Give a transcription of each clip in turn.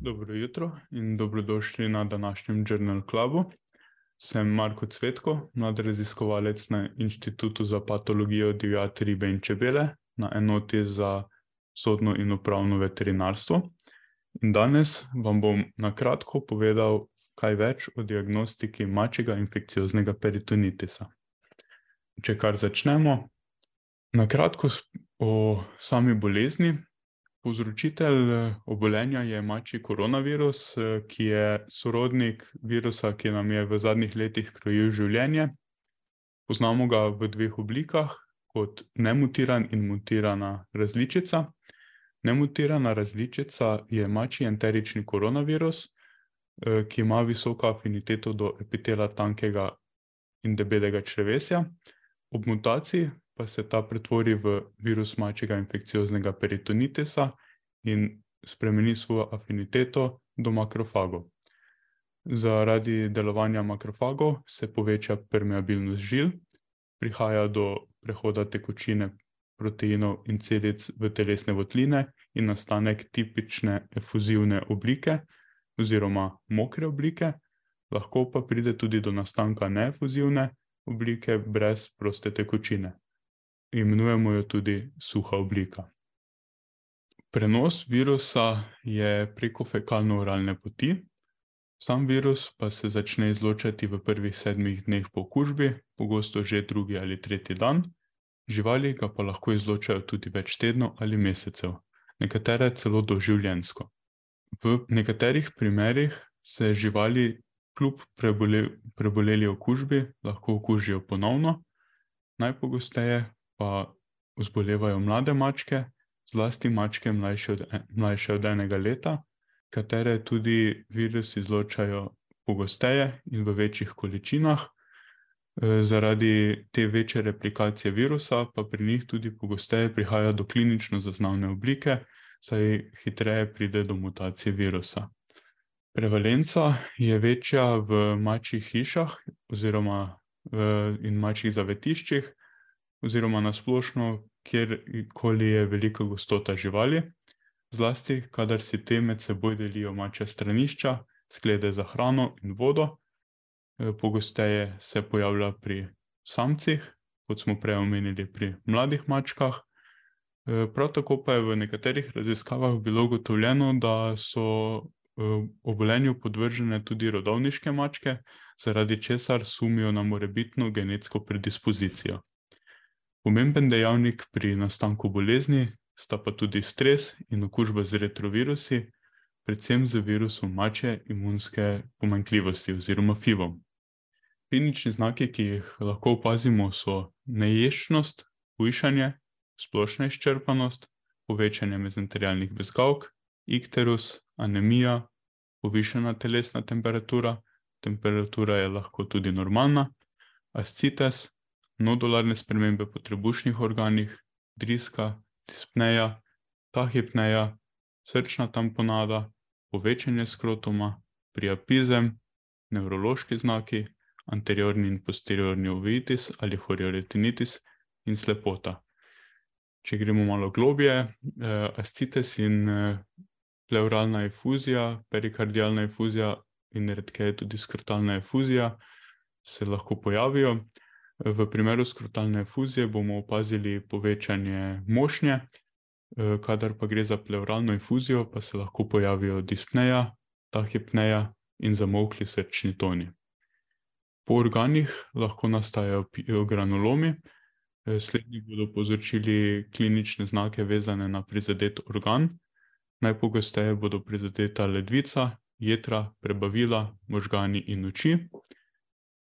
Dobro jutro in dobrodošli na današnjem Journal Clubu. Sem Marko Cvetko, mlad raziskovalec na Inštitutu za patologijo divjadi, ribe in čebele na enoti za sodno in upravno veterinarstvo. In danes vam bom na kratko povedal kaj več o diagnostiki mačjega infekcioznega peritonitisa. Če kar začnemo, na kratko o sami bolezni. Povzročitelj obolenja je mačji koronavirus, ki je sorodnik virusa, ki nam je v zadnjih letih krojil življenje. Poznamo ga v dveh oblikah, kot nemutiran in mutirana različica. Nemutirana različica je mačji enterični koronavirus, ki ima visoko afiniteto do epitela tankega in debelega črevesja. Ob mutaciji pa se ta pretvori v virus mačjega infekcioznega peritonitisa in spremeni svojo afiniteto do makrofagov. Zaradi delovanja makrofagov se poveča permeabilnost žil, prihaja do prehoda tekočine proteinov in celic v telesne votline in nastanek tipične efuzivne oblike oziroma mokre oblike, lahko pa pride tudi do nastanka neefuzivne oblike brez proste tekočine. Imenujemo jo tudi suha oblika. Prenos virusa je preko fekalno-oralne poti. Sam virus pa se začne izločati v prvih 7 dneh po okužbi, pogosto že 2. ali 3. dan. Živali ga pa lahko izločajo tudi več tednov ali mesecev, nekatere celo doživljenjsko. V nekaterih primerih se živali kljub preboleli okužbi lahko okužijo ponovno, najpogosteje pa zbolevajo mlade mačke, zlasti mačke mlajše od 1 leta, katere tudi virus izločajo pogosteje in v večjih količinah. Zaradi te večje replikacije virusa pa pri njih tudi pogosteje prihaja do klinično zaznavne oblike, saj hitreje pride do mutacije virusa. Prevalenca je večja v mačjih hišah in mačjih zavetiščih oziroma na splošno, kjerkoli je velika gostota živali, zlasti kadar si te med seboj delijo mačja stranišča, sklede za hrano in vodo. Pogosteje se pojavlja pri samcih, kot smo prej omenili pri mladih mačkah. Prav tako pa je v nekaterih raziskavah bilo ugotovljeno, da so obolenju podvržene tudi rodovniške mačke, zaradi česar sumijo na morebitno genetsko predispozicijo. Pomemben dejavnik pri nastanku bolezni sta pa tudi stres in okužba z retrovirusi, predvsem z virusom mačje imunske pomanjkljivosti oziroma FIV-om. Klinični znaki, ki jih lahko opazimo, so neješčnost, hujšanje, splošna izčrpanost, povečanje mezenterialnih bezgavk, ikterus, anemija, povišana telesna temperatura, temperatura je lahko tudi normalna, ascites, nodularne spremembe po trebušnih organih, driska, dispneja, tahipneja, srčna tamponada, povečanje skrotuma, priapizem, nevrološki znaki, anteriorni in posteriorni uveitis ali chorioretinitis in slepota. Če gremo malo globje, ascites in pleuralna efuzija, perikardialna efuzija in redkeje tudi skrotalna efuzija se lahko pojavijo. V primeru skrotalne efuzije bomo opazili povečanje mošnje, kadar pa gre za pleuralno efuzijo, pa se lahko pojavijo dispneja, tahipneja in zamolkli srčni toni. Po organih lahko nastajajo granulomi, slednji bodo povzročili klinične znake vezane na prizadet organ, najpogosteje bodo prizadeta ledvica, jetra, prebavila, možgani in oči.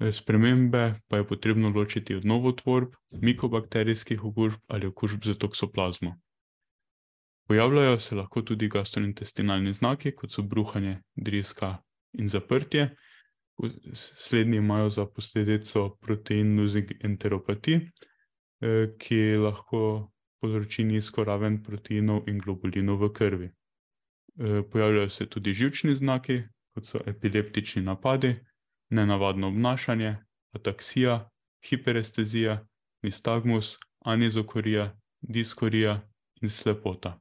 Spremembe pa je potrebno ločiti od novotvorb, mikobakterijskih okužb ali okužb z toksoplazmo. Pojavljajo se lahko tudi gastrointestinalni znaki, kot so bruhanje, driska in zaprtje. Slednji imajo za posledico protein losing enteropatij, ki lahko povzroči nizko raven proteinov in globulinov v krvi. Pojavljajo se tudi živčni znaki, kot so epileptični napadi, nenavadno obnašanje, ataksija, hiperestezija, nistagmus, anizokorija, diskorija in slepota.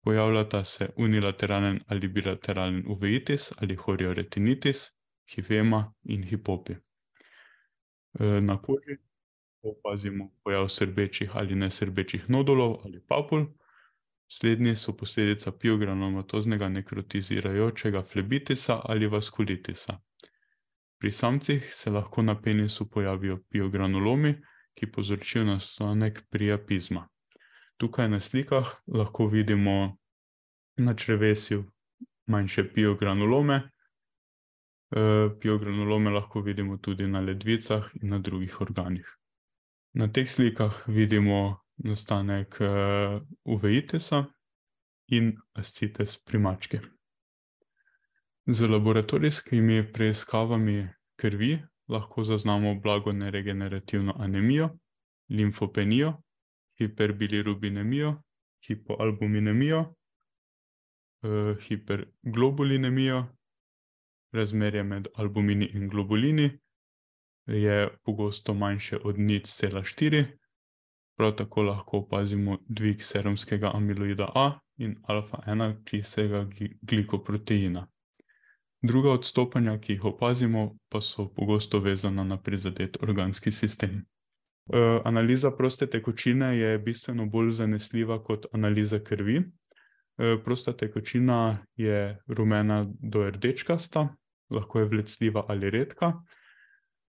Pojavljata se unilateralen ali bilateralen uveitis ali chorioretinitis, hifema in hipopi. Na koži opazimo pojav srbečih ali nesrbečih nodulov ali papul. Slednji so posledica piogranulomatoznega nekrotizirajočega flebitisa ali vaskulitisa. Pri samcih se lahko na penisu pojavijo piogranulomi, ki povzročijo nastanek priapizma. Tukaj na slikah lahko vidimo na črevesju manjše piogranulome. Piogranulome lahko vidimo tudi na ledvicah in na drugih organih. Na teh slikah vidimo nastanek uveitisa in ascites pri mački. Z laboratorijskimi preiskavami krvi lahko zaznamo blago neregenerativno anemijo, limfopenijo, hiperbilirubinemijo, hipoalbuminemijo, hiperglobulinemijo. Razmerje med albumini in globulini je pogosto manjše od 0,4. Prav tako lahko opazimo dvig serumskega amiloida A in alfa-1 kisega glikoproteina. Druga odstopanja, ki jih opazimo, pa so pogosto vezana na prizadet organski sistem. Analiza proste tekočine je bistveno bolj zanesljiva kot analiza krvi. Prosta tekočina je rumena do rdečkasta, lahko je vlecljiva ali redka.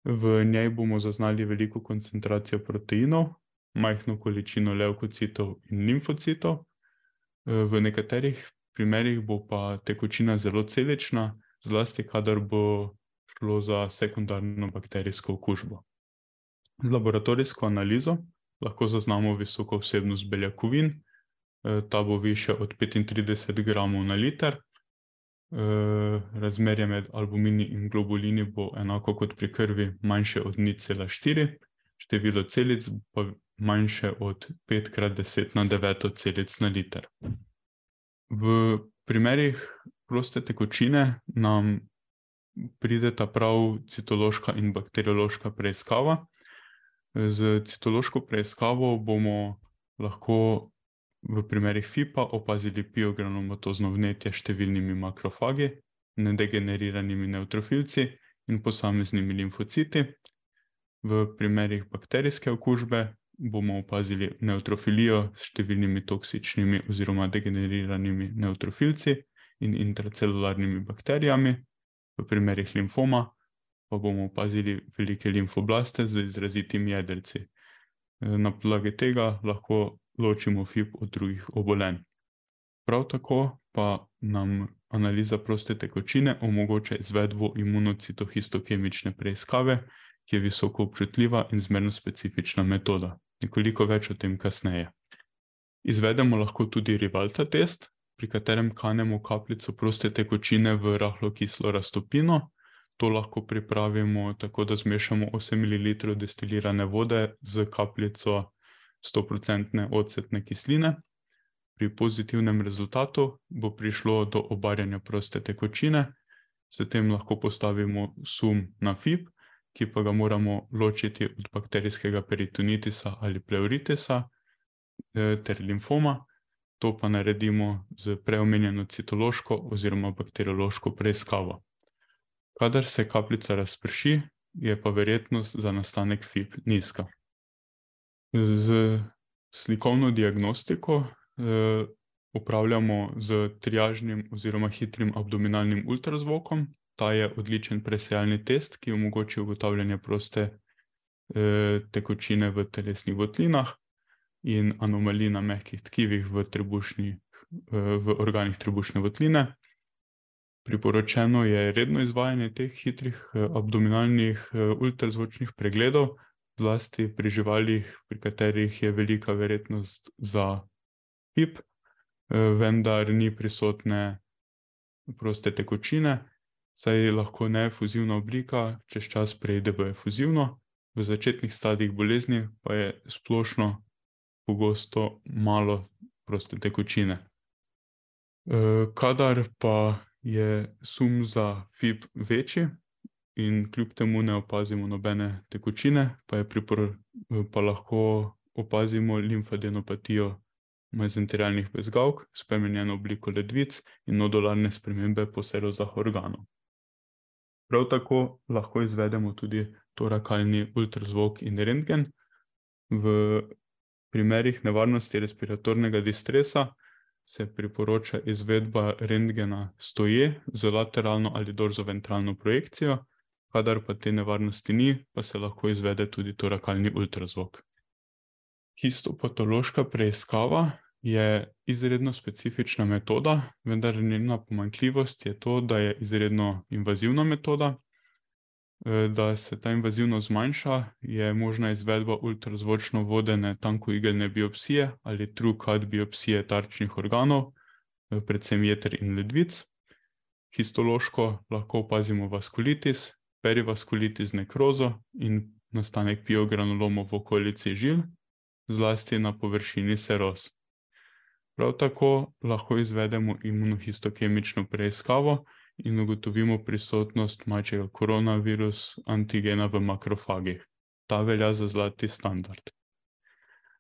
V njej bomo zaznali veliko koncentracijo proteinov, majhno količino levkocitov in limfocitov. V nekaterih primerih bo pa tekočina zelo celična, zlasti kadar bo šlo za sekundarno bakterijsko okužbo. Z laboratorijsko analizo lahko zaznamo visoko vsebnost beljakovin, ta bo višja od 35 gramov na liter. Razmerje med albumini in globulini bo enako kot pri krvi, manjše od 0,4, število celic pa manjše od 5x10⁹ celic na liter. V primerih proste tekočine nam prideta prav citološka in bakteriološka preiskava. Z citološko preiskavo bomo lahko v primerih FIP-a opazili piogranulomatozno vnetje s številnimi makrofagi, nedegeneriranimi neutrofilci in posameznimi limfociti. V primerih bakterijske okužbe bomo opazili neutrofilijo s številnimi toksičnimi oziroma degeneriranimi neutrofilci in intracelularnimi bakterijami. V primerih limfoma pa bomo opazili velike limfoblaste z izrazitimi jedrci. Na podlagi tega lahko ločimo FIP od drugih obolenj. Prav tako pa nam analiza proste tekočine omogoča izvedbo imunocitohistokemične preiskave, ki je visoko občutljiva in zmerno specifična metoda. Nekoliko več o tem kasneje. Izvedemo lahko tudi Rivalta test, pri katerem kanemo kapljico proste tekočine v rahlo kislo raztopino. To lahko pripravimo tako, da zmešamo 8 ml destilirane vode z kapljico 100% ocetne kisline. Pri pozitivnem rezultatu bo prišlo do obarjanja proste tekočine, s tem lahko postavimo sum na FIP, ki pa ga moramo ločiti od bakterijskega peritonitisa ali pleuritisa ter limfoma. To pa naredimo z preomenjeno citološko oziroma bakteriološko preiskavo. Kadar se kapljica razprši, je pa verjetnost za nastanek FIP nizka. Z slikovno diagnostiko upravljamo z triažnim oziroma hitrim abdominalnim ultrazvokom. Ta je odličen presejalni test, ki omogoči ugotavljanje proste tekočine v telesnih votlinah in anomalij na mehkih tkivih v organih trebušne votline. Priporočeno je redno izvajanje teh hitrih abdominalnih ultrazvočnih pregledov, zlasti pri živalih, pri katerih je velika verjetnost za FIP, vendar ni prisotne proste tekočine, saj lahko neefuzivna oblika čez čas preide v efuzivno. V začetnih stadijih bolezni pa je splošno pogosto malo proste tekočine. Kadar pa je sum za FIP večji in kljub temu ne opazimo nobene tekočine, pa lahko opazimo limfadenopatijo mezenterialnih bezgavk, spremenjeno obliko ledvic in nodularne spremembe po serozah organov. Prav tako lahko izvedemo tudi torakalni ultrazvok in rentgen. V primerih nevarnosti respiratornega distresa se priporoča izvedba rentgena stoje z lateralno ali dorzoventralno projekcijo, kadar pa te nevarnosti ni, pa se lahko izvede tudi torakalni ultrazvok. Histopatološka preiskava je izredno specifična metoda, vendar njena pomanjkljivost je to, da je izredno invazivna metoda. Da se ta invazivnost zmanjša, je možna izvedba ultrazvočno vodene tankoigelne biopsije ali TrueCut biopsije tarčnih organov, predvsem jeter in ledvic. Histološko lahko opazimo vaskulitis, perivaskulitis z nekrozo in nastanek piogranolomov v okolici žil, zlasti na površini seroz. Prav tako lahko izvedemo imunohistokemično preiskavo in ugotovimo prisotnost mačjega koronavirus antigena v makrofagih. Ta velja za zlati standard.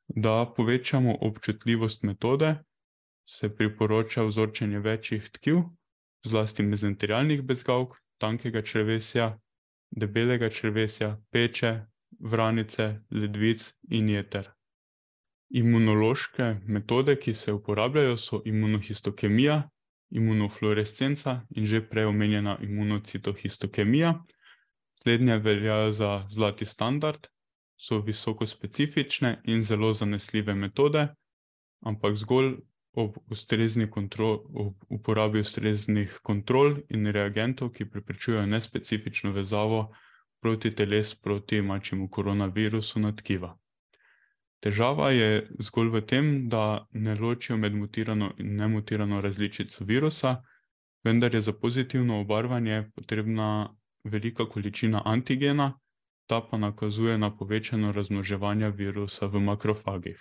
Da povečamo občutljivost metode, se priporoča vzorčenje večjih tkiv, zlasti mezenterialnih bezgavk, tankega črevesja, debelega črevesja, peče, vranice, ledvic in jeter. Imunološke metode, ki se uporabljajo, so imunohistokemija, imunofluorescenca in že prej omenjena imunocitohistokemija. Slednje velja za zlati standard, so visoko specifične in zelo zanesljive metode, ampak zgolj ob uporabi ustreznih kontrol in reagentov, ki preprečujejo nespecifično vezavo protiteles proti mačjemu koronavirusu na tkiva. Težava je zgolj v tem, da ne ločijo med mutirano in nemutirano različico virusa, vendar je za pozitivno obarvanje potrebna velika količina antigena, ta pa nakazuje na povečano razmnoževanje virusa v makrofagih.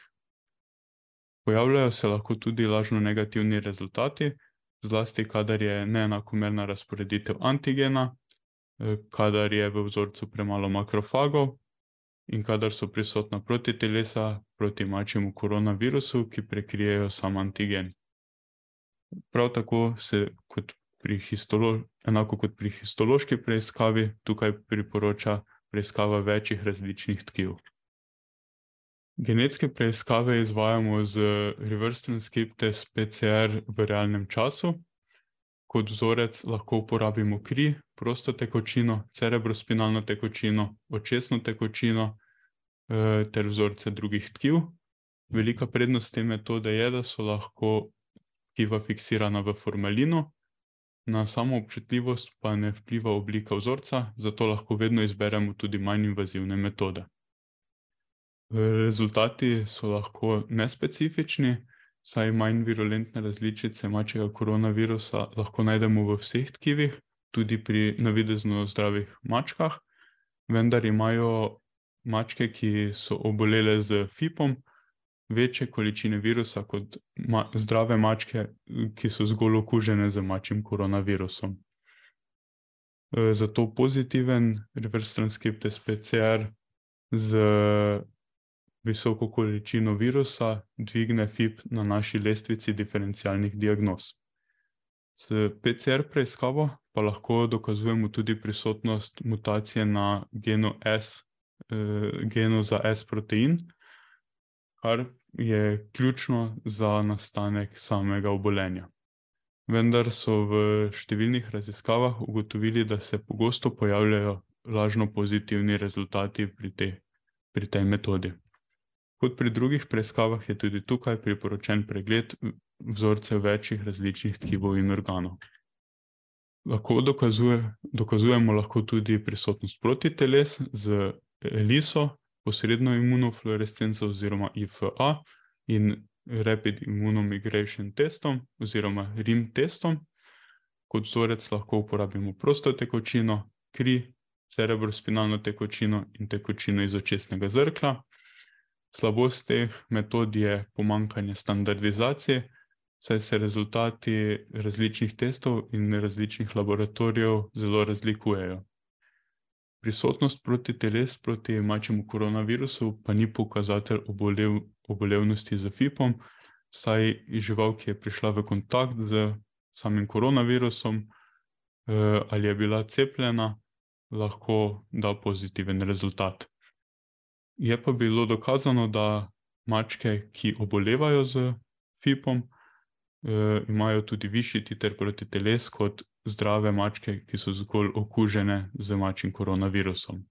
Pojavljajo se lahko tudi lažno negativni rezultati, zlasti kadar je neenakomerna razporeditev antigena, kadar je v vzorcu premalo makrofagov in kadar so prisotna protitelesa proti mačjemu koronavirusu, ki prekrijejo sam antigen. Prav tako se enako kot pri histološki preiskavi tukaj priporoča preiskava večjih različnih tkiv. Genetske preiskave izvajamo z reverse transcriptase PCR v realnem času. Kot vzorec lahko uporabimo kri, prosto tekočino, cerebrospinalno tekočino, očesno tekočino ter vzorce drugih tkiv. Velika prednost te metode je, da so lahko tkiva fiksirana v formalinu, na samo občutljivost pa ne vpliva oblika vzorca, zato lahko vedno izberemo tudi manj invazivne metode. Rezultati so lahko nespecifični, saj manj virulentne različice mačjega koronavirusa lahko najdemo v vseh tkivih, tudi pri navidezno zdravih mačkah, vendar imajo mačke, ki so obolele z FIP-om, večje količine virusa kot zdrave mačke, ki so zgolj okužene z mačjim koronavirusom. Zato pozitiven reverse transcriptase PCR z visoko količino virusa dvigne FIP na naši lestvici diferencialnih diagnoz. S PCR preiskavo pa lahko dokazujemo tudi prisotnost mutacije na genu za S-protein, kar je ključno za nastanek samega obolenja. Vendar so v številnih raziskavah ugotovili, da se pogosto pojavljajo lažno pozitivni rezultati pri tej metodi. Kot pri drugih preiskavah je tudi tukaj priporočen pregled vzorcev večjih različnih tkivov in organov. Dokazujemo lahko tudi prisotnost protiteles z ELISO, posredno imunofluorescenco oziroma IFA in Rapid Immunomigration testom oziroma RIM testom. Kot vzorec lahko uporabimo prosto tekočino, kri, cerebrospinalno tekočino in tekočino iz očesnega zrkla. Slabost teh metod je pomanjkanje standardizacije, saj se rezultati različnih testov in različnih laboratorijev zelo razlikujejo. Prisotnost protiteles proti mačjemu koronavirusu pa ni pokazatelj obolevnosti z FIP-om, vsaj žival, ki je prišla v kontakt z samim koronavirusom, ali je bila cepljena, lahko da pozitiven rezultat. Je pa bilo dokazano, da mačke, ki obolevajo z FIP-om, imajo tudi višji titer proti teles kot zdrave mačke, ki so zgolj okužene z mačjim koronavirusom.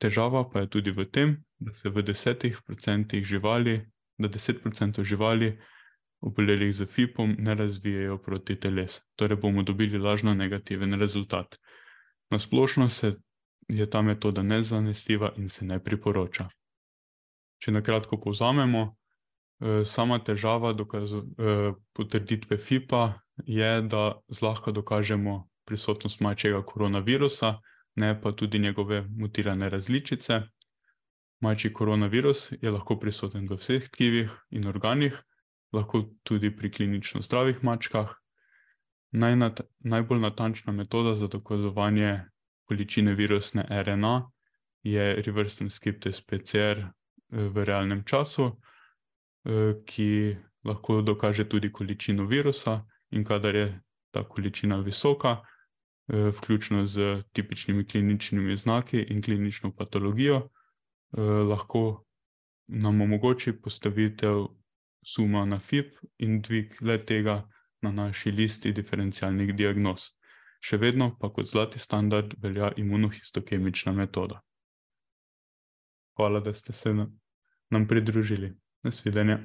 Težava pa je tudi v tem, da se v 10% živali, da 10% živali obolelih z FIP-om ne razvijajo proti teles. Torej bomo dobili lažno negativen rezultat. Na splošno je ta metoda nezanesljiva in se ne priporoča. Če na kratko povzamemo, sama težava potrditve FIP-a je, da zlahka dokažemo prisotnost mačjega koronavirusa, ne pa tudi njegove mutirane različice. Mačji koronavirus je lahko prisoten v vseh tkivih in organih, lahko tudi pri klinično zdravih mačkah. Najbolj natančna metoda za dokazovanje količine virusne RNA je reverse transcriptase PCR v realnem času, ki lahko dokaže tudi količino virusa, in kadar je ta količina visoka, vključno z tipičnimi kliničnimi znaki in klinično patologijo, lahko nam omogoči postavitev suma na FIP in dvig le-tega na naši listi diferencialnih diagnoz. Še vedno pa kot zlati standard velja imunohistokemična metoda. Hvala, da ste se nam pridružili. Nasvidenje.